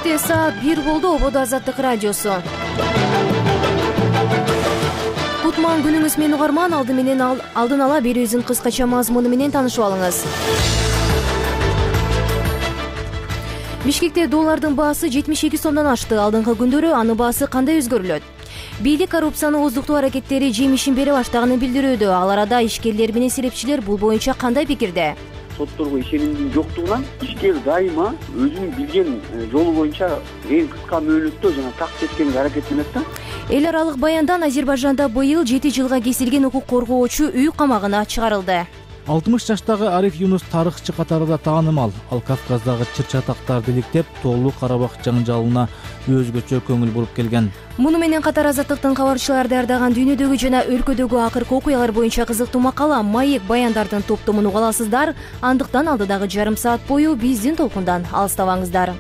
Кечте саат 1 болду. Ободо Азаттык радиосу. Кутман күнүңүз менен угарман. Алдын ала берүүбүздүн кыскача мазмуну менен таанышып алыңыз. Бишкекте доллардын баасы 72 сомдон ашты. Алдыңкы күндөрү анын баасы кандай өзгөрүлөт? Бийлик коррупцияны ооздуктоо аракеттери жемишин бере баштаганын билдирүүдө. Ал арада ишкерлер менен серепчилер бул боюнча кандай пикирде? Сотторго ишенимдин жоктугунан ишкер дайыма өзүнүн билген жолу боюнча эң кыска мөөнөттө жана такт эткенге аракеттенет да. Эл аралык баяндан Азербайжанда быйыл 7 жылга кесилген укук коргоочу үй камагына чыгарылды. 60 жаштагы Ариф Юнус тарыхчы катарында таанымал. Ал Кавказдагы чыр-чатактарды иликтеп, Тоолуу Карабак жаңжалына өзгөчө көңүл буруп келген. Муну менен катар Азаттыктын кабарчылары даярдаган дүйнөдөгү жана өлкөдөгү акыркы окуялар боюнча кызыктуу макала Маек баяндардын топтомун уга аласыздар. Андыктан алдыдагы жарым саат бою биздин толкундан алыстабаңыздар.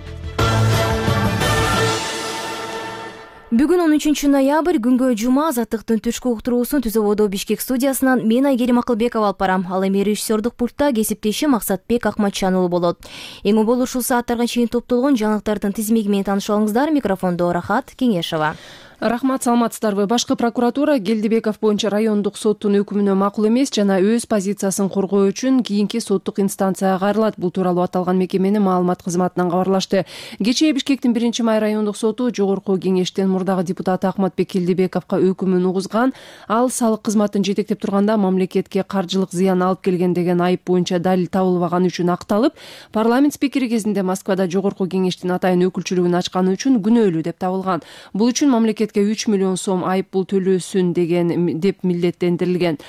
Бүгүн 13 ноябрь күнгө жума. Азаттыктын түшкү уктуруусун Түз Ободо Бишкек студиясынан мен Айгерим Акылбекова алып барам. Ал эми режиссердук пультта кесиптеши Максатбек Акматчан уулу болот. Эң болуу ушул сааттарга чейин топтолгон жаңылыктардын тизмеги менен таанышып алыңыздар. Микрофондо Рахат Кеңешова. Рахмат, саламатсыздарбы? Башкы прокуратура Келдибеков боюнча райондук соттун өкүмүнө макул эмес жана өз позициясын коргоо үчүн кийинки соттук инстанцияга кайрылат. Бул тууралуу аталган мекеменин маалымат кызматынан кабарлашты. Кечээ Бишкектин 1-май райондук соту жогорку кеңештин мурдагы депутаты Ахматбек Келдибековго өкүмүн угузган. Ал салык кызматын жетектеп турганда мамлекетке каржылык зыян алып келген деген айып боюнча далил табылбаганы үчүн акталып, парламент спикери кезинде Москвада жогорку кеңештин атайын өкүлчүлүгүн ачканы үчүн күнөөлүү деп табылган. Бул үчүн мамлекет 3 миллион сом айып пул төлөөсүн деп милдеттендирилген.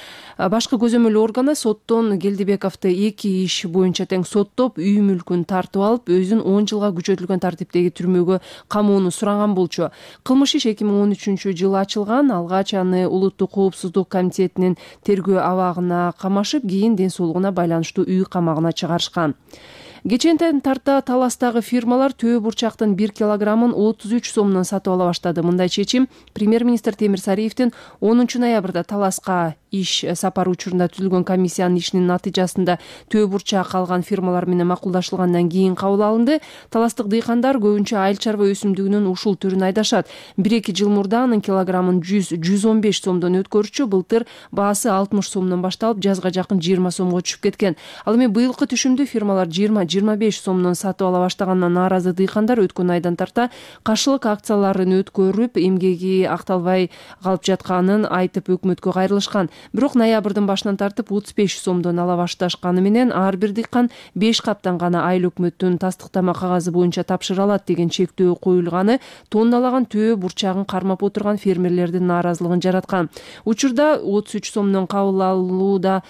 Башкы көзөмөл органы соттон Келдибековду 2 иш боюнча тең соттоп, үй мүлкүн тартып алып, өзүн 10 жылга күчөтүлгөн тартиптеги түрмөгө камоону сураган болчу. Кылмыш иш 2013 жылы ачылган. Алгач аны Улуттук коопсуздук комитетинин тергөө абагына камашып, кийин ден соолугуна байланыштуу үй камагына чыгарышкан. Кечентен тарта Таластагы фирмалар төө бурчактын 1 килограммын 33 сомдон сатып ала баштады. Мындай чечим премьер-министр Темир Сариевдин 10 ноябрда Таласка иш сапары учурунда түзүлгөн комиссиянын ишинин натыйжасында төө бурчак алган фирмалар менен макулдашылгандан кийин кабыл алынды. Таластык дыйкандар көбүнчө айыл чарба өсүмдүгүнүн ушул түрүн айдашат. 1-2 жыл мурда анын килограммын 100-115 сомдон өткөрүчү. Былтыр баасы 60 сомдон башталып, жазга жакын 20 сомго түшүп кеткен. Ал эми быйылкы түшүмдү фирмалар 20-25 сомдон сатып ала баштагандан нааразы дыйкандар өткөн айдан тарта каршылык акцияларын өткөрүп, эмгеги акталбай калып жатканын айтып өкмөткө кайрылышкан. Бирок ноябрдын башынан тартып 35 сомдон ала башташканы менен ар бир дыйкан 5 каптан гана айыл өкмөттүн тастыктама кагазы боюнча тапшыра алат деген чектөө коюлганы тонналаган төө бурчагын кармап отурган фермерлердин нааразылыгын жараткан. Учурда 33 сомдон кабыл алууда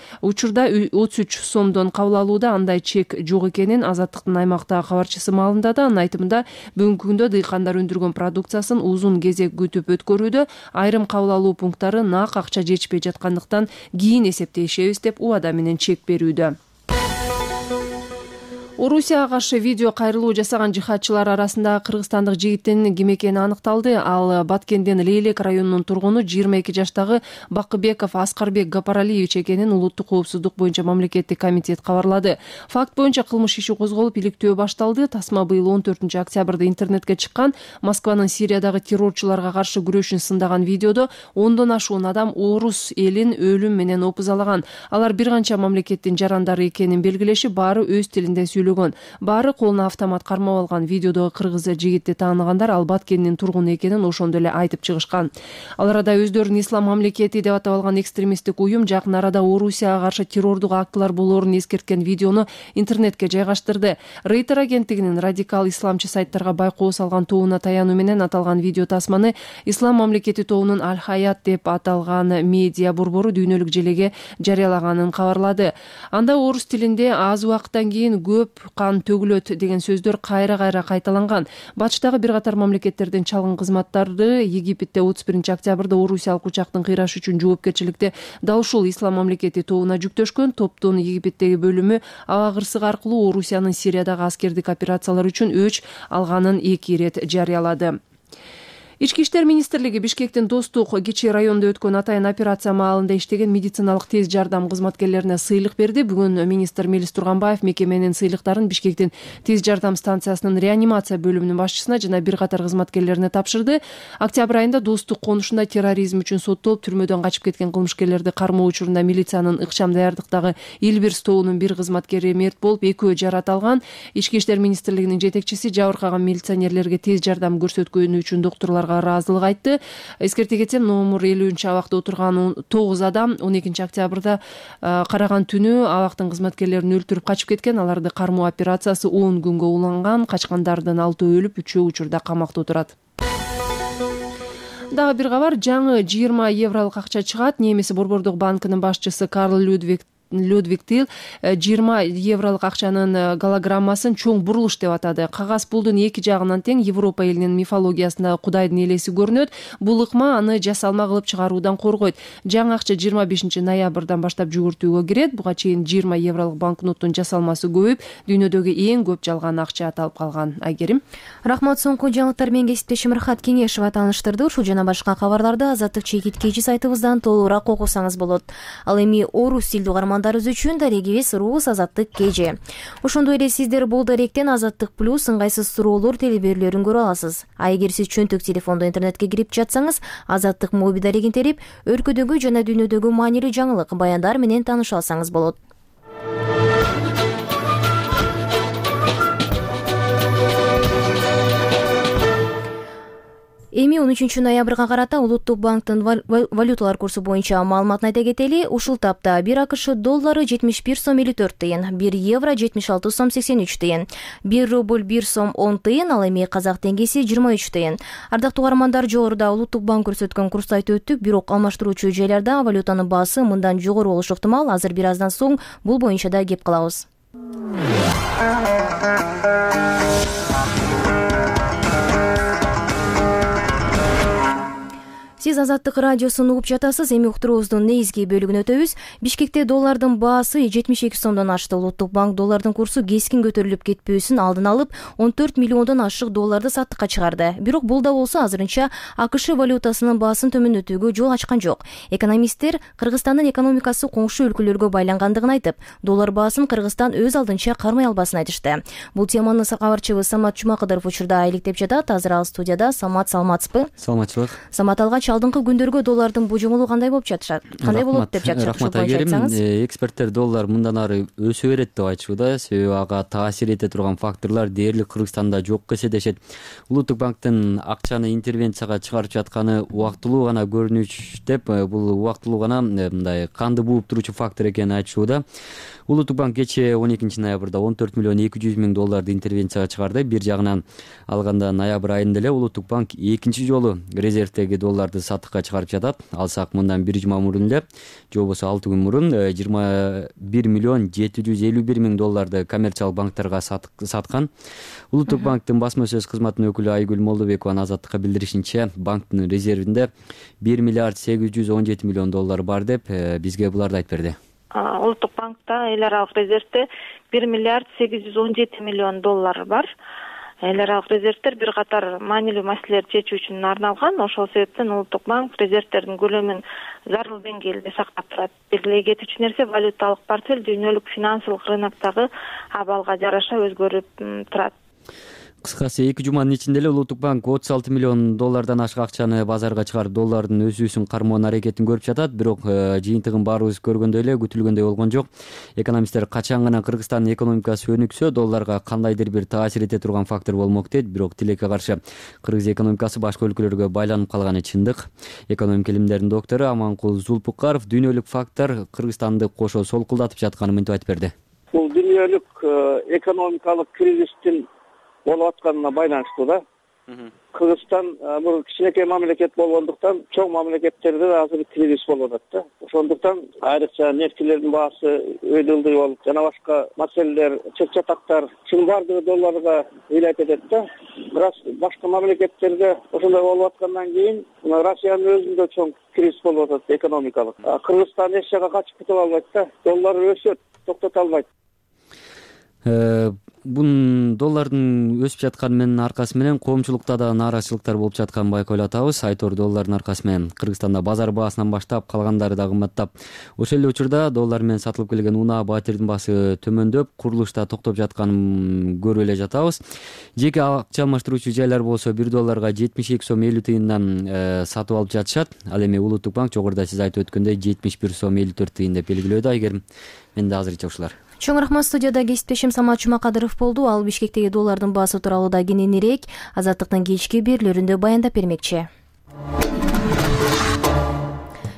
андай чек жок экенин Азаттыктын аймактагы кабарчысы маалымдады. Анын айтымында бүгүнкү күндө дыйкандар өндүргөн продукциясын узун кезек күтүп өткөрүүдө, айрым кабыл алуу пункттары нак акча жетишпей жаткандыктан кийин эсептешебиз деп убада менен чек берүүдө. Орусияга каршы видео кайрылуу жасаган жихадчылар арасында кыргызстандык жигиттин ким экени аныкталды. Ал Баткенден Лейлек районунун тургуну 22 жаштагы Бакыбеков Аскарбек Гапаралиевич экенин Улуттук коопсуздук боюнча мамлекеттик комитет кабарлады. Факт боюнча кылмыш иши козголуп, иликтөө башталды. Тасма быйыл 14 октябрда интернетке чыккан. Москванын Сириядагы террорчуларга каршы күрөшүн сындаган видеодо 10дон ашуун адам орус элин өлүм менен опузалаган. Алар бир канча мамлекеттин жарандары экенин белгилешип, баары өз тилинде сүйлөгөн. Баары колуна автомат кармап алган. Видеодогу кыргыз жигитти тааныгандар ал Баткендин тургуну экенин ошондо эле айтып чыгышкан. Ал арада өздөрүн ислам мамлекети деп атап алган экстремисттик уюм жакын арада Орусияга каршы террордук актылар болоорун эскерткен видеону интернетке жайгаштырды. Рейтер агенттигинин радикал исламчы сайттарга байкоо салган тобуна таянуу менен аталган видео тасманы ислам мамлекети тобунун Аль-Хаят деп аталган медиа борбору дүйнөлүк желеге жарыялаганын кабарлады. Анда орус тилинде аз убакыттан кийин көп кан төгүлөт деген сөздөр кайра кайталанган. Батыштагы бир катар мамлекеттердин чалгын кызматтары Египетте 31 октябрда орусиялык учактын кыйрашы үчүн жоопкерчиликти дал ушул ислам мамлекети тобуна жүктөшкөн. Топтун Египеттеги бөлүмү аба кырсыгы аркылуу Орусиянын Сириядагы аскердик операциялар үчүн өч алганын 2 ирет жарыялады. Ички иштер министрлиги Бишкектин Достук кичи районунда өткөн атайын операция маалында иштеген медициналык тез жардам кызматкерлерине сыйлык берди. Бүгүн министр Мелис Турганбаев мекеменин сыйлыктарын Бишкектин тез жардам станциясынын реанимация бөлүмүнүн башчысына жана бир катар кызматкерлерине тапшырды. Октябрь айында Достук конушунда терроризм үчүн соттолуп түрмөдөн качып кеткен кылмышкерлерди кармоо учурунда милициянын ыкчам даярдыктагы Илбирс тобунун бир кызматкери мерт болуп, экөө жарат алган. Ички иштер министрлигинин жетекчиси жабыркаган милиционерлерге тез жардам көрсөткөнү үчүн доктурларга ыраазылык айтты. Эскерте кетсем, номер 50-абакта отурган 9 адам 12 октябрда караган түнү абактын кызматкерлерин өлтүрүп качып кеткен. Аларды кармоо операциясы 10 күнгө уланган. Качкандардын 6 өлүп, 3 учурда камакта отурат. Дагы бир кабар, жаңы 20 евролук акча чыгат. Немис Борбордук банкынын башчысы Карл Людвиг Тил 20 евролук акчанын голограммасын чоң бурулуш деп атады. Кагаз пулдун эки жагынан тең Европа элинин мифологиясында Кудайдын элеси көрүнөт. Бул ыкма аны жасалма кылып чыгаруудан коргойт. Жаңы акча 25 ноябрдан баштап жүгүртүүгө кирет. Буга чейин 20 евролук банкноттун жасалмасы көбөйүп, дүйнөдөгү эң көп жалган акча аталып калган. Айгерим. Рахмат, соңку жаңылыктар менен кесиптешим Рахат Кеңешова тааныштырды. Ушул жана башка кабарларды Азаттык чекит кечи сайтыбыздан толугураак окусаңыз болот. Ал эми орус тилдүү угармандарыбыз үчүн дарегибиз Рус Азаттык KG. Ошондой эле сиздер бул даректен Азаттык плюс ыңгайсыз суроолор телеберлөрүн көрө аласыз. А эгер сиз чөнтөк телефондо интернетке кирип жатсаңыз, Азаттык моби дарегин терип, өлкөдөгү жана дүйнөдөгү маанилүү жаңылык, баяндар менен тааныша алсаңыз болот. Эми 13 ноябрга карата Улуттук банктын валюталар курсу боюнча маалыматын айта кетели. Ушул тапта 1 АКШ доллары 71 сом 54 тыйын, 1 евро 76 сом 83 тыйын, 1 рубль 1 сом 10 тыйын, ал эми казак теңгеси 23 тыйын. Ардактуу угармандар, жогоруда Улуттук банк көрсөткөн курсту айтып өттүк, бирок алмаштыруучу жайларда валютанын баасы мындан жогору болушу ыктымал. Азыр бир аздан соң бул боюнча да кеп калабыз. Сиз Азаттык радиосун угуп жатасыз. Эми уктуруубуздун негизги бөлүгүнө өтөбүз. Бишкекте доллардын баасы 72 сомдон ашты. Улуттук банк доллардын курсу кескин көтөрүлүп кетпөөсүн алдын алып, 14 миллиондон ашык долларды саттыкка чыгарды. Бирок бул да болсо азырынча АКШ валютасынын баасын төмөндөтүүгө жол ачкан жок. Экономисттер Кыргызстандын экономикасы коңшу өлкөлөргө байлангандыгын айтып, доллар баасын Кыргызстан өз алдынча кармай албасын айтышты. Бул теманы кабарчыбыз Самат Жумакыдыров учурда иликтеп жатат. Азыр ал студияда. Самат, саламатсызбы? Саламатчылык. Самат, алгач алдыңкы күндөргө доллардын божомолу кандай болуп жатышат? Кандай болот деп жатышат? Рахмат Айгерим. Эксперттер доллар мындан ары өсө берет деп айтышууда. Себеби ага таасир эте турган факторлор дээрлик Кыргызстанда жок эседешет. Улуттук банктын акчаны интервенцияга чыгарып жатканы убактылуу гана көрүнүш деп, бул убактылуу гана мындай канды бууп туручу фактор экенин айтышууда. Улуттук банк кечээ 12 ноябрда 14 миллион 200 миң долларды интервенцияга чыгарды. Бир жагынан алганда ноябрь айында эле Улуттук банк экинчи жолу резервдеги долларды сатыкка чыгарып жатат. Алсак мындан бир жума мурун эле, же болбосо 6 күн мурун 21 миллион 751 миң долларды коммерциялык банктарга саткан. Улуттук банктын басма сөз кызматынын өкүлү Айгүл Молдобекова Азаттыкка билдиришинче, банктын резервинде 1 миллиард 817 миллион доллар бар деп бизге буларды айтып берди. Улуттук банкта эл аралык резервде 1 миллиард 817 миллион доллар бар. Эл аралык резервдер бир катар маанилүү маселелерди чечүү үчүн арналган. Ошол себептен Улуттук банк резервдердин көлөмүн зарыл деңгээлде сактап турат. Белгилей кетүүчү нерсе, валюталык портфель дүйнөлүк финансылык рыноктогу абалга жараша өзгөрүп турат. Кыскасы 2 жуманын ичинде эле Улуттук банк 36 миллион доллардан ашык акчаны базарга чыгарып, доллардын өсүүсүн кармоонун аракетин көрүп жатат. Бирок жыйынтыгын баарыбыз көргөндөй эле күтүлгөндөй болгон жок. Экономисттер качан гана Кыргызстандын экономикасы өнүксө, долларга кандайдыр бир таасир эте турган фактор болмок дейт. Бирок тилекке каршы Кыргыз экономикасы башка өлкөлөргө байланып калганы чындык. Экономика илимдеринин доктору Аманкул Зулпукаров дүйнөлүк фактор Кыргызстанды кошо солкулдатып жатканын мынтип айтып берди. Бул дүйнөлүк экономикалык кризистин болуп атканына байланыштуу да. Кыргызстан бул кичинекей мамлекет болгондуктан чоң мамлекеттерде азыр кризис болуп атат да. Ошондуктан айрыкча нефтилердин баасы өйдөлдөй болуп, жана башка маселелер, чыр-чатактар шунун баардыгы долларга ыйлайт этет да. Бирок башка мамлекеттерде ошондой болуп аткандан кийин Россиянын өзүндө чоң кризис болуп атат экономикалык. Кыргызстан эч жака качып кете албайт да. Доллар өсөт, токтото албайт. Бул доллардын өсүп жатканынын аркасы менен коомчулукта да нааразычылыктар болуп жатканын байкоолоп атабыз. Айтор доллардын аркасы менен Кыргызстанда базар баасынан баштап калгандары да кымбаттап. Ошол эле учурда доллар менен сатылып келген унаа, батирдин баасы төмөндөп, курулушта токтоп жатканын көрүп эле жатабыз. Жеке акча алмаштыруучу жайлар болсо 1 долларга 72 сом 50 тыйындан сатып алып жатышат. Ал эми Улуттук банк жогоруда сиз айтып өткөндөй 71 сом 54 тыйын деп белгилөөдө. Айгерим, менде азырынча ушулар. Чоң рахмат. Студияда кесиптешим Самат Жумакадыров болду. Ал Бишкектеги доллардын баасы тууралуу да кененирээк Азаттыктын кечки берүүлөрүндө баяндап бермекчи.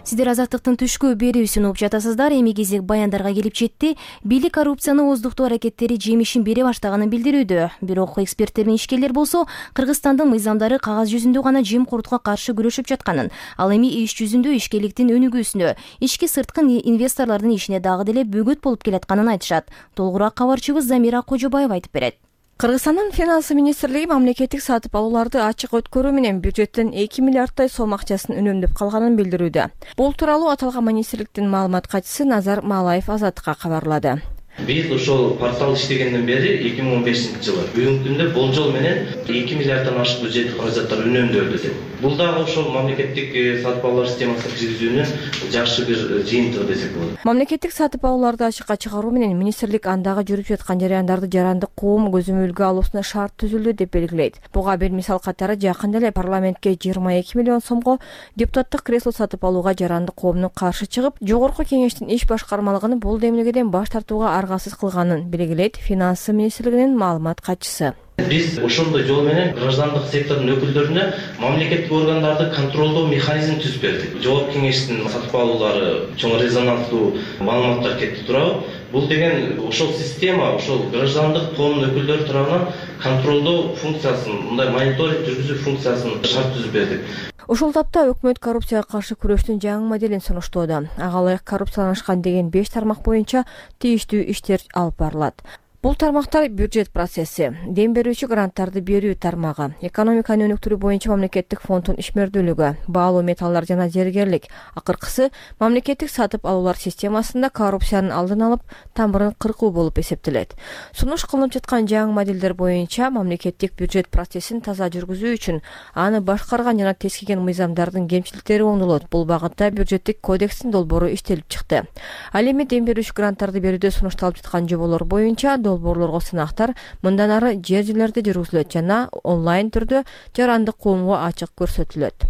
Сиздер Азаттыктын түшкү берүүсүн угуп жатасыздар. Эми кезек баяндарга келип жетти. Бийлик коррупцияны ооздуктоо аракеттери жемишин бере баштаганын билдирүүдө. Бирок эксперттер менен ишкерлер болсо Кыргызстандын мыйзамдары кагаз жүзүндө гана жемкорлукка каршы күрөшүп жатканын, ал эми иш жүзүндө ишкерликтин өнүгүүсүнө, ички сырткы инвесторлордун ишине дагы деле бөгөт болуп келатканын айтышат. Толугураак кабарчыбыз Замира Кожобаева айтып берет. Кыргызстандын финансы министрлиги мамлекеттик сатып алууларды ачык өткөрүү менен бюджеттен 2 миллиарддай сом акчасын үнөмдөп калганын билдирүүдө. Бул тууралуу аталган министрликтин маалымат катчысы Назар Малаев Азаттыкка кабарлады. Биз ошол портал иштегенден бери 2015-жылы бүгүнкү күндө болжол менен 2 миллиарддан ашык бюджеттик каражаттар үнөмдөлдү деп. Бул дагы ошол мамлекеттик сатып алуулар системасына киргизүүнүн жакшы бир жыйынтыгы десек болот. Мамлекеттик сатып алууларды ачыкка чыгаруу менен министрлик андагы жүрүп жаткан жараяндарды жарандык коом көзөмөлгө алуусуна шарт түзүлдү деп белгилейт. Буга бир мисал катары жакында эле парламентке 22 миллион сомго депутаттык кресло сатып алууга жарандык коомдун каршы чыгып, жогорку кеңештин иш башкармалыгын бул демилгеден баш тартууга аргасыз кылганын белгилейт финансы министрлигинин маалымат катчысы. Биз ошондой жол менен граждандык сектордун өкүлдөрүнө мамлекеттик органдарды контролдоо механизмин түзүп бердик. Жогорку кеңештин сатып алуулары чоң резонанстуу маалыматтар кетти турабы? Бул деген ошол система, ошол граждандык коомдун өкүлдөрү тарабынан контролдоо функциясын, мындай мониторинг жүргүзүү функциясын шарт түзүп бердик. Ушул тапта өкмөт коррупцияга каршы күрөштүн жаңы моделин сунуштоодо. Ага ылайык коррупцияланышкан деген 5 тармак боюнча тийиштүү иштер алып барылат. Бул тармактар бюджет процесси, дем берүүчү гранттарды берүү тармагы, экономиканы өнүктүрүү боюнча мамлекеттик фонддун ишмердүүлүгү, баалуу металлдар жана зергерлик. Акыркысы мамлекеттик сатып алуулар системасында коррупциянын алдын алып, тамырын кыркуу болуп эсептелет. Сунуш кылынып жаткан жаңы моделдер боюнча мамлекеттик бюджет процессин таза жүргүзүү үчүн аны башкарган жана тескиген мыйзамдардын кемчиликтери оңдолот. Бул багытта бюджеттик кодекстин долбоору иштелип чыкты. Ал эми дем берүүчү гранттарды берүүдө сунушталып жаткан жоболор боюнча долбоорлорго сынактар мындан ары жер-жерлерде жүргүзүлөт жана онлайн түрдө жарандык коомго ачык көрсөтүлөт.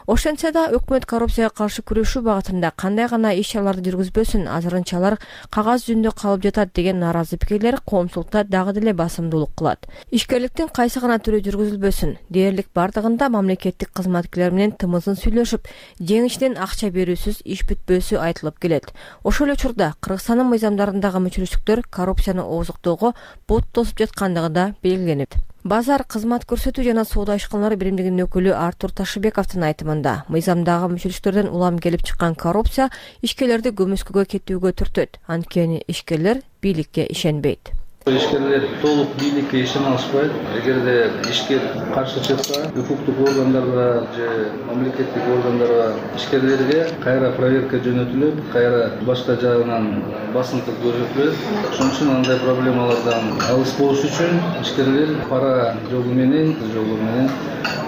Ошентсе да өкмөт коррупцияга каршы күрөшүү багытында кандай гана иш-чараларды жүргүзбөсүн, азырынчалар кагаз жүзүндө калып жатат деген нааразы пикирлер коомчулукта дагы деле басымдуулук кылат. Ишкерликтин кайсы гана түрү жүргүзүлбөсүн, дээрлик бардыгында мамлекеттик кызматкерлер менен тымызын сүйлөшүп, жеңишинен акча берүүсүз иш бүтпөсү айтылып келет. Ошол эле учурда Кыргызстандын мыйзамдарындагы мүчүлүштүктөр коррупцияны ооздуктоого бут тосуп жаткандыгы да белгиленет. Базар кызмат көрсөтүү жана соода ишканалары биримдигинин өкүлү Артур Ташыбековдун айтымында, мыйзамдагы мүчүлүштөрдөн улам келип чыккан коррупция ишкерлерди көмүскөгө кетүүгө түртөт. Анткени ишкерлер бийликке ишенбейт. Ишкерлер толук бийликке ишене алышпайт. Эгерде ишкер каршы чыкса, укуктук органдарга же мамлекеттик органдарга ишкерлерге кайра проверка жөнөтүлөт, кайра башка жагынан басымдык көрсөтүлөт. Ошон үчүн андай проблемалардан алыс болуш үчүн ишкерлер пара жолу менен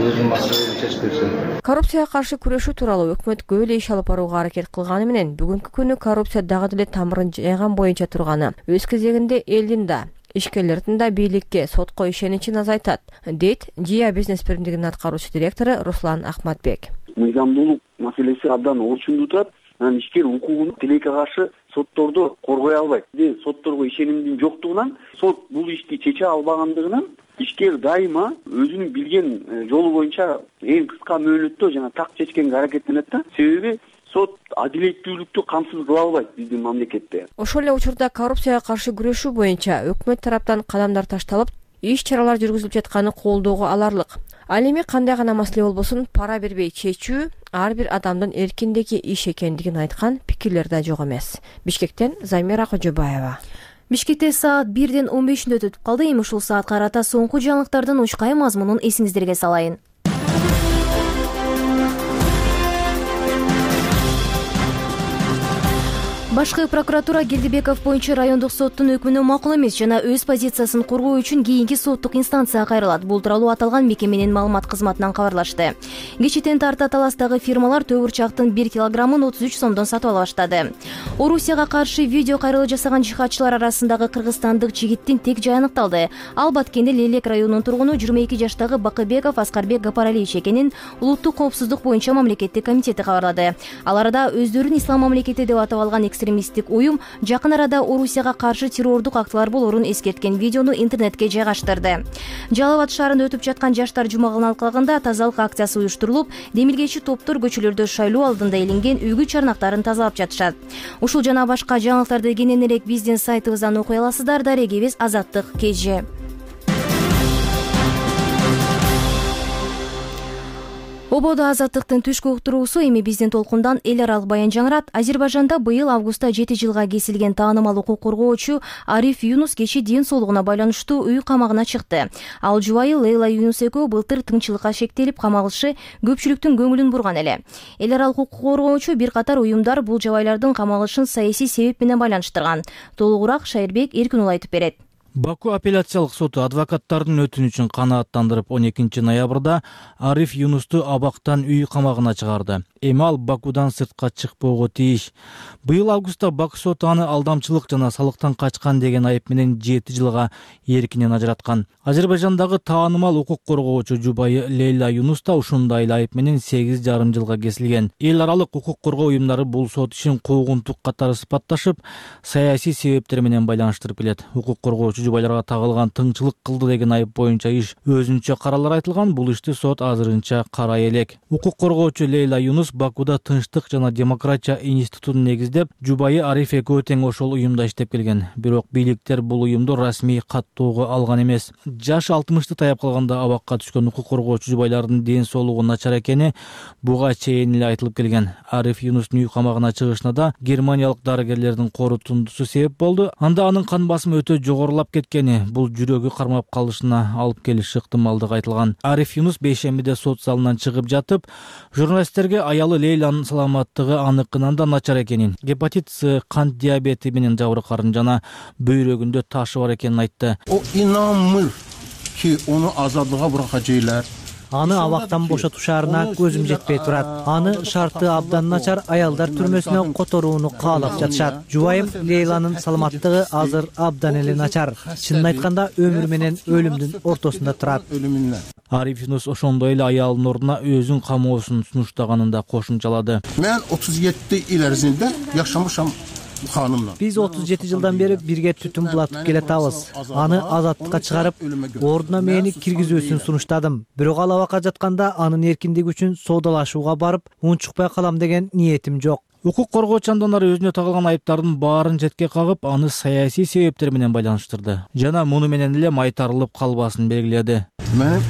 өзүнүн маселелерин чечип беришет. Коррупцияга каршы күрөшүү тууралуу өкмөт көп эле иш алып барууга аракет кылганы менен бүгүнкү күнү коррупция дагы деле тамырын жайган боюнча турганы өз кезегинде элдин да ишкерлердин да бийликке, сотко ишеничин азайтат, дейт Жия бизнес биримдигинин аткаруучу директору Руслан Ахматбек. Мыйзамдуулук маселеси абдан орчундуу турат. Анан ишкер укугун тилекке каршы сотторду коргой албайт. Сотторго ишенимдин жоктугунан, сот бул ишти чече албагандыгынан ишкер дайыма өзүнүн билген жолу боюнча эң кыска мөөнөттө жана так чечкенге аракеттенет да. Себеби сот адилеттүүлүктү камсыз кыла албайт биздин мамлекетте. Ошол эле учурда коррупцияга каршы күрөшүү боюнча өкмөт тараптан кадамдар ташталып, иш-чаралар жүргүзүлүп жатканы колдоого аларлык. Ал эми кандай гана маселе болбосун пара бербей чечүү ар бир адамдын эркиндеги иш экендигин айткан пикирлер да жок эмес. Бишкектен Замира Кожобаева. Бишкекте саат 1:15 өтүп калды. Эми ушул саатка карата соңку жаңылыктардын учкай мазмунун эсиңиздерге салайын. Башкы прокуратура Келдибеков боюнча райондук соттун өкмүнө макул эмес жана өз позициясын коргоо үчүн кийинки соттук инстанцияга кайрылат. Бул тууралуу аталган мекеменин маалымат кызматынан кабарлашты. Кечитен тарта таластагы фирмалар төгүрчактын 1 килограммын 33 сомдон сатып ала баштады. Орусияга каршы видео кайрылуу жасаган жихадчылар арасындагы кыргызстандык жигиттин тек жайы аныкталды. Ал Баткенде Лелек районунун тургуну 22 жаштагы Бакыбеков Аскарбек Гапаралиевич экенин улуттук коопсуздук боюнча мамлекеттик комитети кабарлады. Ал арада өздөрүн ислам мамлекети деп атап алган экстремисттик уюм жакын арада Орусияга каршы террордук актылар болорун эскерткен видеону интернетке жайгаштырды. Жалал Абад шаарында өтүп жаткан жаштар жумагынын алкагында тазалык акциясы уюштурулуп, демилгечи топтор көчөлөрдө шайлоо алдында илинген үйгү чарнактарын тазалап жатышат. Ушул жана башка жаңылыктарды кененирээк биздин сайтыбыздан окуй аласыздар. Дарегибиз Азаттык KG. Ободо Азаттыктын түшкү уктуруусу эми биздин толкундан эл аралык баян жаңырат. Азербайжанда быйыл августта 7 жылга кесилген таанымал укук коргоочу Ариф Юнус кечээ ден соолугуна байланыштуу үй камагына чыкты. Ал жубайы Лейла Юнус экөө былтыр тыңчылыкка шектелип камалышы көпчүлүктүн көңүлүн бурган эле. Эл аралык укук коргоочу бир катар уюмдар бул жабайлардын камалышын саясий себеп менен байланыштырган. Толугураак Шайырбек Эркинул айтып берет. Баку апелляциялык соту адвокаттардын өтүнүчүн канааттандырып 12 ноябрда Ариф Юнусту абактан үй камагына чыгарды. Эми ал Бакудан сыртка чыкпоого тийиш. Быйыл августта Баку соту аны алдамчылык жана салыктан качкан деген айып менен 7 жылга эркинен ажыраткан. Азербайжандагы таанымал укук коргоочу жубайы Лейла Юнус да ушундай эле айып менен 8,5 жылга кесилген. Эл аралык укук коргоо уюмдары бул сот ишин куугунтук катары сыпатташып, саясий себептер менен байланыштырып келет. Укук коргоочу жубайларга тагылган тыңчылык кылды деген айып боюнча иш өзүнчө каралар айтылган. Бул ишти сот азырынча карай элек. Укук коргоочу Лейла Юнус Бакуда тынчтык жана демократия институтун негиздеп, жубайы Ариф экөө тең ошол уюмда иштеп келген. Бирок бийликтер бул уюмду расмий каттоого алган эмес. Жаш 60-ты таяп калганда абакка түшкөн укук коргоочу жубайлардын ден соолугу начар экени буга чейин эле айтылып келген. Ариф Юнустун үй камагына чыгышына да германиялык дарыгерлердин корутундусу себеп болду. Анда анын кан басымы өтө жогорулап кеткени, бул жүрөгү кармап калышына алып келиши ыктымалдыгы айтылган. Ариф Юнус бейшембиде сот залынан чыгып жатып, журналисттерге аялы Лейланын саламаттыгы аныкынан да начар экенин, гепатит С, кант диабети менен жабыркарын жана бөйрөгүндө ташы бар экенин айтты. O inanmır ki onu azadlığa bırakacaklar. Аны абактан бошотушарына көзүм жетпей турат. Аны шарты абдан начар аялдар түрмөсүнө которууну каалап жатышат. Жубайым Лейланын саламаттыгы азыр абдан эле начар. Чынын айтканда өмүр менен өлүмдүн ортосунда турат. Ариф Юнус ошондой эле аялынын ордуна өзүн камоосун сунуштаганын да кошумчалады. Мен 37 ил эрзинде жашамышам. Биз 37 жылдан бери бирге түтүн булатып келатабыз. Аны азаттыкка чыгарып, ордуна мени киргизүүсүн сунуштадым. Бирок ал абакка жатканда анын эркиндиги үчүн соодалашууга барып, унчукпай калам деген ниетим жок. Укук коргоочу анданары өзүнө тагылган айыптардын баарын четке кагып, аны саясий себептер менен байланыштырды. Жана муну менен эле майтарылып калбасын белгиледи. Менин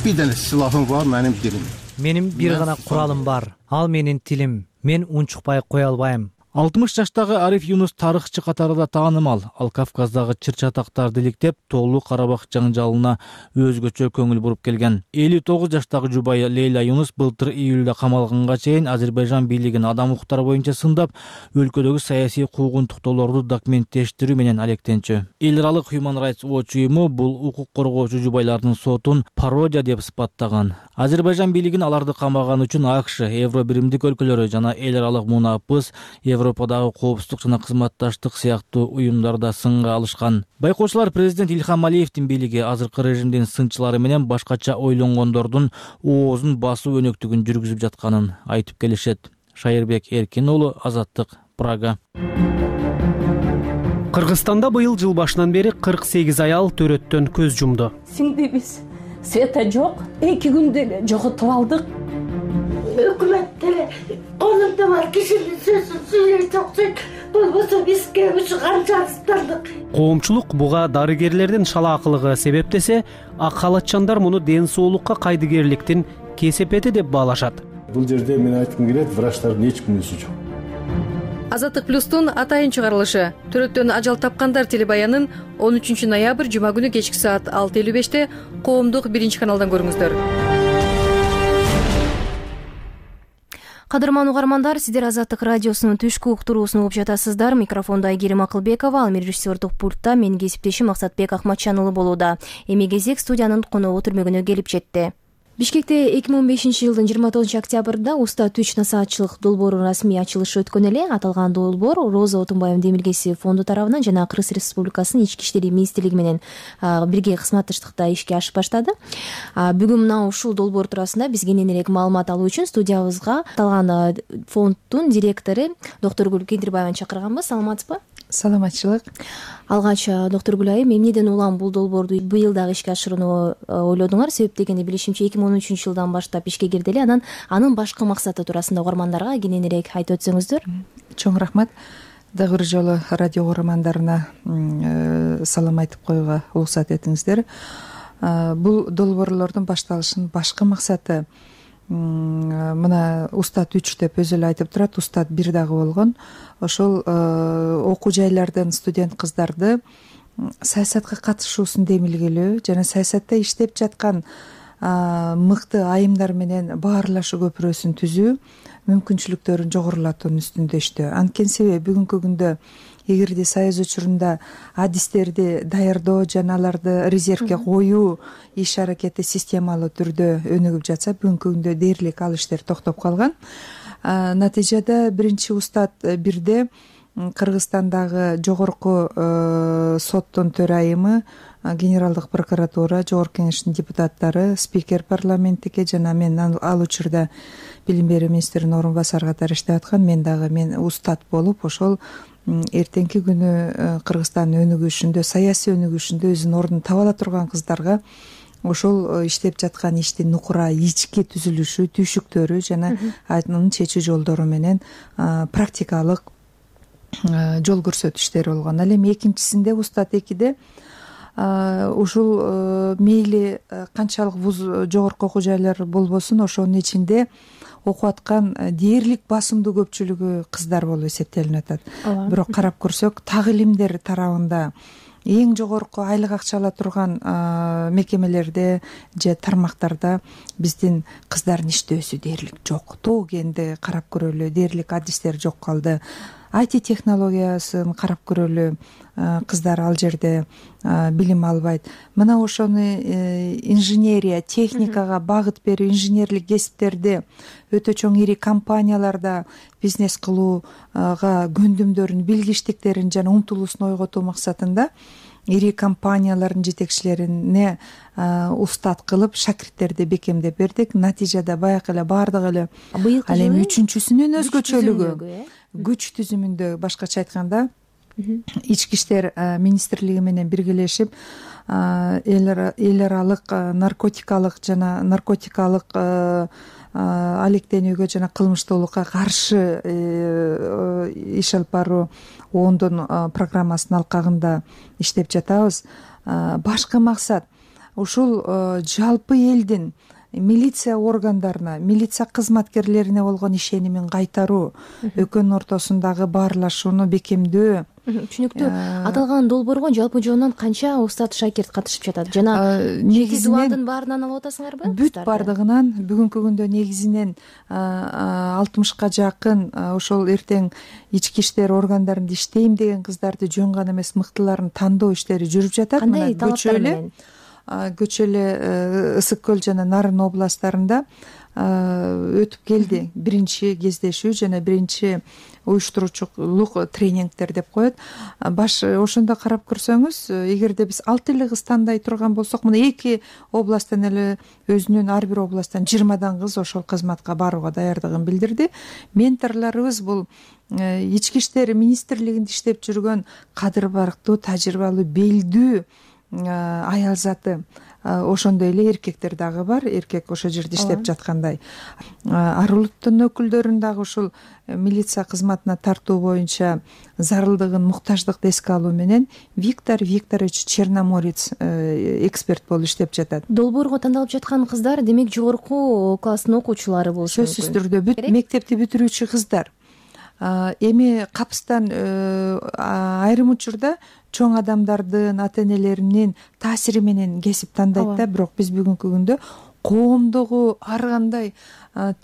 бир деле силахым бар, менин дилим. Менин бир гана куралым бар. Ал менин тилим. Мен унчукпай кое албайм. 60 жаштагы Ариф Юнус тарыхчы катарында таанымал. Ал Кавказдагы чыр-чатактарды иликтеп, Тоолуу Карабак жаңжалына өзгөчө көңүл буруп келген. 59 жаштагы жубайы Лейла Юнус былтыр июлда камалганга чейин Азербайжан бийлигин адам укуктары боюнча сындап, өлкөдөгү саясий куугунтуктоолорду документтештирүү менен алектенчү. Эл аралык Human Rights Watch уюму бул укук коргоочу жубайлардын сотун пародия деп сыпаттаган. Азербайжан бийлигин аларды камаган үчүн АКШ, Евробиримдик өлкөлөрү жана эл аралык мунапыс, Европадагы коопсуздук жана кызматташтык сыяктуу уюмдарда сынга алышкан. Байкоочулар президент Ильхам Алиевдин бийлиги азыркы режимдин сынчылары менен башкача ойлонгондордун оозун басуу өнөктүгүн жүргүзүп жатканын айтып келишет. Шайырбек Эркин уулу, Азаттык, Прага. Кыргызстанда быйыл жыл башынан бери 48 аял төрөттөн көз жумду. Сиңдибиз света жок, 2 күндө эле жоготуп алдык. Өкмөт деле колунда бар кишинин сөзүн сүйлөйт окшойт. Болбосо бизге ушу канчалыктардык. Коомчулук буга дарыгерлердин шалаакылыгы себептесе, ак халатчандар муну ден соолукка кайдыгерликтин кесепети деп баалашат. Бул жерде мен айткым келет, врачтардын эч күнөөсү жок. Азаттык плюстун атайын чыгарылышы төрөттөн ажал тапкандар телебаянын 13 ноябрь жума күнү кечки саат 6:55 коомдук 1 каналдан көрүңүздөр. Кадырман угармандар, сиздер Азаттык радиосунун түшкү уктуруусун угуп жатасыздар. Микрофонда Айгерим Акылбекова, ал режиссердук пультта менин кесиптешим Максатбек Акматчанұлы болууда. Эми кезек студиянын коногу түрмөгүнө келип жетти. Бишкекте 2015-жылдын 29 октябрда Уста Түч насаатчылык долбоорунун расмий ачылышы өткөн эле. Аталган долбоор Роза Отунбаев демилгеси фонду тарабынан жана Кыргыз Республикасынын Ички иштери министрлиги менен бирге кызматташтыкта ишке ашып баштады. Бүгүн мына ушул долбоор туурасында биз кененирээк маалымат алуу үчүн студиябызга аталган фонддун директору Доктургүл Кендирбаеваны чакырганбыз. Саламатсызбы? Саламатчылык. Алгач Доктургүл айым, эмнеден улам бул долбоорду быйыл дагы ишке ашырууну ойлодуңар? Себеп дегенде билишимче 2013-жылдан баштап ишке кирди эле. Анын башкы максаты туурасында угармандарга кененирээк айтып өтсөңүздөр. Чоң рахмат. Дагы бир жолу радио угармандарына салам айтып коюуга уруксат этиңиздер. Бул долбоорлордун башталышынын башкы максаты мына Устат 3 деп өзү эле айтып турат. Устат 1 дагы болгон. Ошол окуу жайлардан студент кыздарды саясатка катышуусун демилгелөө жана саясатта иштеп жаткан мыкты айымдар менен баарлашуу көпүрөсүн түзүү, мүмкүнчүлүктөрүн жогорулатуунун үстүндө иштөө. Анткени себеби бүгүнкү күндө эгерде союз учурунда адистерди даярдоо жана аларды резервге коюу иш аракети системалуу түрдө өнүгүп жатса, бүгүнкү күндө дээрлик ал иштер токтоп калган. Натыйжада биринчи Устат 1де Кыргызстандагы жогорку соттун төрайымы, Генералдык прокуратура, Жогорку Кеңештин депутаттары, спикер парламенттике жана мен ал учурда билим берүү министринин орун басары катары иштеп аткан мен Устат болуп, ошол эртеңки күнү Кыргызстандын өнүгүшүндө, саясий өнүгүшүндө өзүнүн ордун таба ала турган кыздарга ошол иштеп жаткан иштин нукура ички түзүлүшү, түйшүктөрү жана анын чечүү жолдору менен практикалык жол көрсөтүү иштери болгон. Ал эми экинчисинде Устат 2де ушул мейли канчалык вуз жогорку окуу жайлар болбосун, ошонун ичинде окуп аткан дээрлик басымдуу көпчүлүгү кыздар болуп эсептелип атат. Бирок карап көрсөк, так илимдер тарабында эң жогорку айлык акча ала турган мекемелерде же тармактарда биздин кыздардын иштөөсү дээрлик жок. Тоо кенди карап көрөлү, дээрлик адистер жок калды. IT технологиясын карап көрөлү, кыздар ал жерде билим албайт. Мына ошону инженерия, техникага багыт берүү, инженерлик кесиптерди өтө чоң ири компанияларда бизнес кылууга көндүмдөрүн, билгичтиктерин жана умтулуусун ойготуу максатында ири компаниялардын жетекчилерине устат кылып шакирттерди бекемдеп бердик. Натыйжада баягы эле баардыгы эле ал эми үчүнчүсүнүн өзгөчөлүгү күч түзүмүндө, башкача айтканда ички иштер министрлиги менен биргелешип эл аралык наркотикалык алектенүүгө жана кылмыштуулукка каршы иш алып баруу оондун программасынын алкагында иштеп жатабыз. Башкы максат ушул жалпы элдин милиция органдарына, милиция кызматкерлерине болгон ишенимин кайтаруу, экөөнүн ортосундагы баарлашууну бекемдөө. Түшүнүктүү. Аталган долбоорго жалпы жонунан канча устат шакирт катышып жатат? Жана негизинен баарынан алып атасыңарбы? Бүт бардыгынан бүгүнкү күндө негизинен 60ка жакын ошол эртең ички иштер органдарында иштейм деген кыздарды жөн гана эмес мыктыларын тандоо иштери жүрүп жатат. Кандай талаптар менен? Көчө эле Ысык көл жана Нарын областтарында өтүп келди биринчи кездешүү жана биринчи уюштуруучулук тренингдер деп коет. Ошондо карап көрсөңүз, эгерде биз 6 эле кыз тандай турган болсок, мына 2 областтан эле өзүнүн ар бир областтан 20дан кыз ошол кызматка барууга даярдыгын билдирди. Менторлорубуз бул ички иштер министрлигинде иштеп жүргөн кадыр барктуу, тажрыйбалуу, белдүү аял заты. Ошондой эле эркектер дагы бар. Эркек ошол жерде иштеп жаткандай. Ар улуттун өкүлдөрүн дагы ушул милиция кызматына тартуу боюнча зарылдыгын, муктаждыкты эске алуу менен Виктор Викторович Черноморец эксперт болуп иштеп жатат. Долбоорго тандалып жаткан кыздар демек жогорку класстын окуучулары болушу мүмкүн. Сөзсүз түрдө мектепти бүтүрүүчү кыздар. Эми капыстан айрым учурда чоң адамдардын, ата энелеринин таасири менен кесип тандайт да, бирок биз бүгүнкү күндө коомдогу ар кандай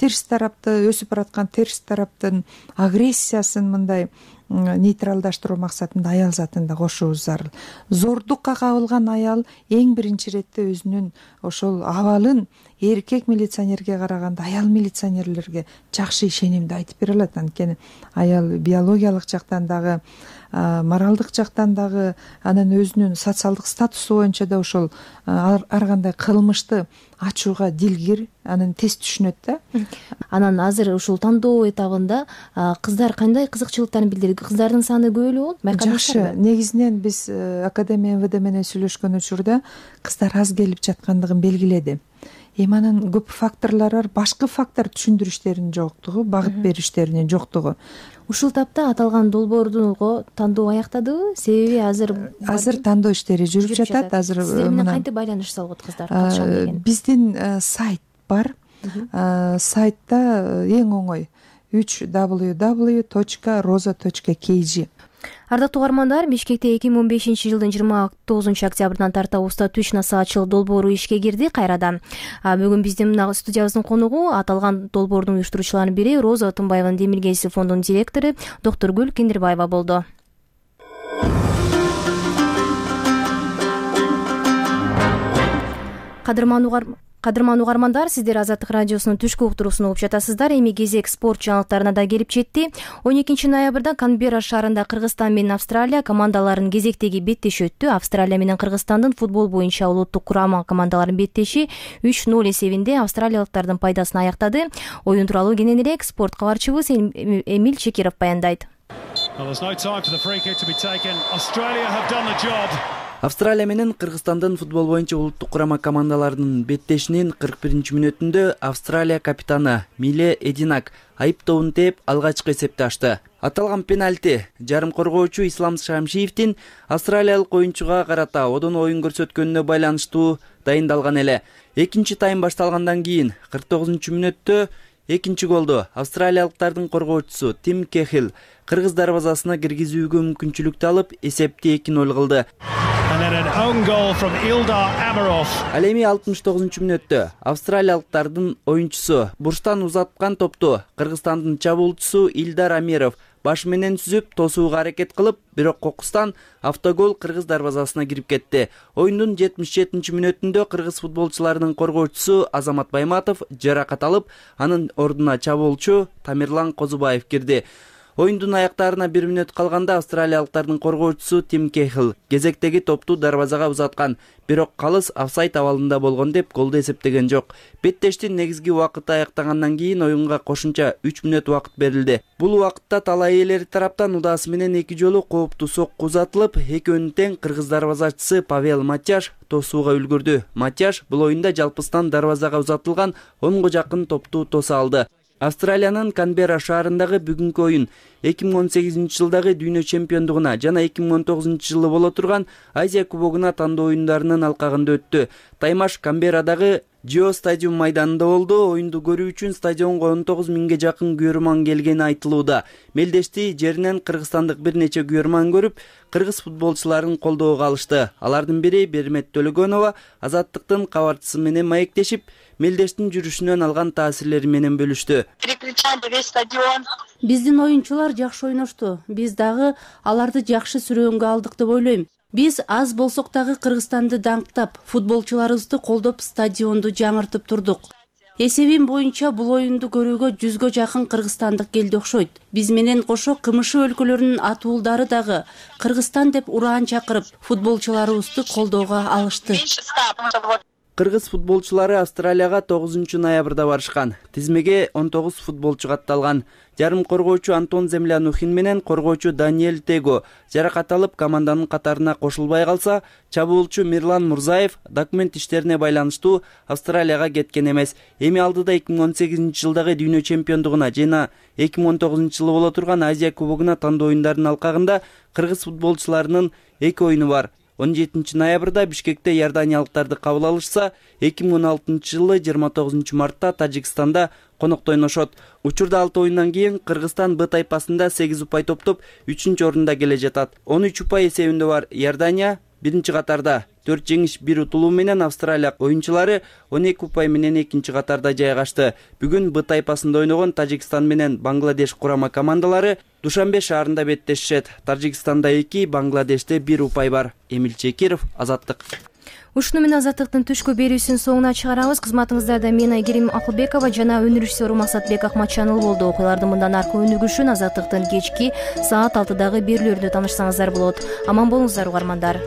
терс тарапты өсүп бараткан терс тараптын агрессиясын мындай нейтралдаштыруу максатында аял затын да кошуубуз зарыл. Зордукка кабылган аял эң биринчи иретте өзүнүн ошол абалын эркек милиционерге караганда аял милиционерлерге жакшы ишенимди айтып бере алат. Анткени аял биологиялык жактан дагы, моралдык жактан дагы, анан өзүнүн социалдык статусу боюнча да ошол ар кандай кылмышты ачууга дилгир, анан тез түшүнөт да. Анан азыр ушул тандоо этабында кыздар кандай кызыкчылыктарын билдирди? Кыздардын саны көп эле болот? Жакшы. Негизинен биз Академия МВД менен сүйлөшкөн учурда кыздар аз келип жаткандыгын белгиледи. Эми анын көп факторлору бар. Башкы фактор түшүндүрүштеринин жоктугу, багыт бериштеринин жоктугу. Ушул тапта аталган долбоордун тандоо аяктадыбы? Себеби азыр тандоо иштери жүрүп жатат. Азыр сиздер менен кантип байланыш салып кыздар катышам деген? Биздин сайт бар. Сайтта эң оңой www.roza.kg. Ардактуу угармандар, Бишкекте 2015-жылдын 29-октябрынан тарта уста түш насаатчылык долбоору ишке кирди кайрадан. Бүгүн биздин студиябыздын конугу аталган долбоордун уюштуруучуларынын бири Роза Отунбаеванын Демиргелиси фондунун директору Доктургүл Кендирбаева болду. Кадырман угармандар, сиздер Азаттык радиосунун түшкү уктуруусун угуп жатасыздар. Эми кезек спорт жаңылыктарына да келип жетти. 12 ноябрда Канберра шаарында Кыргызстан менен Австралия командаларынын кезектеги беттеши өттү. Австралия менен Кыргызстандын футбол боюнча улуттук курама командаларынын беттеши 3-0 эсебинде австралиялыктардын пайдасына аяктады. Оюн тууралуу кененирээк спорт кабарчыбыз Эмил Чекиров баяндайт. Австралия менен Кыргызстандын футбол боюнча улуттук курама командаларынын беттешинин 41-мүнөтүндө Австралия капитаны Миле Эдинак айыптообун тээп алгачкы эсепти ачты. Аталган пенальти жарым коргоочу Ислам Шамшиевдин австралиялык оюнчуга карата одон оюн көрсөткөнүнө байланыштуу дайындалган эле. Экинчи тайм башталгандан кийин 49-мүнөттө экинчи голду австралиялыктардын коргоочусу Тим Кехил кыргыз дарбазасына киргизүүгө мүмкүнчүлүктү алып эсепти 2-0 кылды. Ал эми 69-мүнөттө австралиялыктардын оюнчусу бурчтан узаткан топту Кыргызстандын чабуулчусу Илдар Амиров баш менен сүзүп тосууга аракет кылып, бирок кокустан автогол кыргыз дарбазасына кирип кетти. Оюндун 77-мүнөтүндө кыргыз футболчуларынын коргоочусу Азамат Байматов жаракат алып, анын ордуна чабуулчу Тамирлан Козубаев кирди. Оюндун аяктарына 1 мүнөт калганда австралиялыктардын коргоочусу Тим Кехил кезектеги топту дарбазага узаткан, бирок калыс офсайд абалында болгон деп голду эсептеген жок. Беттештин негизги убакыты аяктагандан кийин оюнга кошумча 3 мүнөт убакыт берилди. Бул убакытта талай ээлери тараптан удаасы менен 2 жолу кооптуу сокку узатылып, экөөнүн тең кыргыз дарбазачысы Павел Матяш тосууга үлгүрдү. Матяш бул оюнда жалпыстан дарбазага узатылган 10го жакын топту тоса алды. Австралиянын Канберра шаарындагы бүгүнкү оюн 2018-жылдагы дүйнө чемпиондугуна жана 2019-жылы боло турган Азия кубогуна тандоо оюндарынын алкагында өттү. Таймаш Канберрадагы Джио стадиум майданында болду. Оюнду көрүү үчүн стадионго 19 миңге жакын күйөрман келгени айтылууда. Мелдешти жеринен кыргызстандык бир нече күйөрман көрүп, кыргыз футболчуларын колдоого алышты. Алардын бири Бермет Төлөгөнова Азаттыктын кабарчысы менен маектешип, Мелдештин жүрүшүнөн алган таасирлери менен бөлүштү. Биздин оюнчулар жакшы ойношту. Биз дагы аларды жакшы сүрөөнгө алдык деп ойлойм. Биз аз болсок дагы Кыргызстанды даңктап, футболчуларыбызды колдоп, стадионду жаңыртып турдук. Эсебим боюнча бул оюнду көрүүгө 100гө жакын кыргызстандык келди окшойт. Биз менен кошо КМШ өлкөлөрүнүн атуулдары дагы Кыргызстан деп ураан чакырып, футболчуларыбызды колдоого алышты. Кыргыз футболчулары Австралияга 9 ноябрда барышкан. Тизмеге 19 футболчу катталган. Жарым коргоочу Антон Землянухин менен коргоочу Даниэль Tego жаракат алып команданын катарына кошулбай калса, чабуулчу Мирлан Мурзаев документ иштерине байланыштуу Австралияга кеткен эмес. Эми алдыда 2018-жылдагы дүйнө чемпиондугуна жана 2019-жылы боло турган Азия кубогуна тандоо оюндарынын алкагында кыргыз футболчуларынын 2 оюну бар. 17 ноябрда Бишкекте иорданиялыктарды кабыл алышса, 2016-жылы 29 мартта Тажикстанда конокто ойношот. Учурда 6 оюндан кийин Кыргызстан Б тайпасында 8 упай топтоп 3-орунда келе жатат. 13 упай эсебинде бар Иордания, биринчи катарда 4 жеңиш 1 утулуу менен Австралия оюнчулары 12 упай менен экинчи катарда жайгашты. Бүгүн Б тайпасында ойногон Тажикстан менен Бангладеш курама командалары Душанбе шаарында беттешишет. Тажикстанда 2, Бангладеште 1 упай бар. Эмил Чекиров, Азаттык. Ушуну менен Азаттыктын түшкү берүүсүн соңуна чыгарабыз. Кызматыңыздарда мен Айгерим Акылбекова жана өнөр режиссеру Максатбек Акматчаныл болду. Окуялардын мындан аркы өнүгүшүн Азаттыктын кечки саат 6дагы берүүлөрүндө таанышсаңыздар болот. Аман болуңуздар угармандар.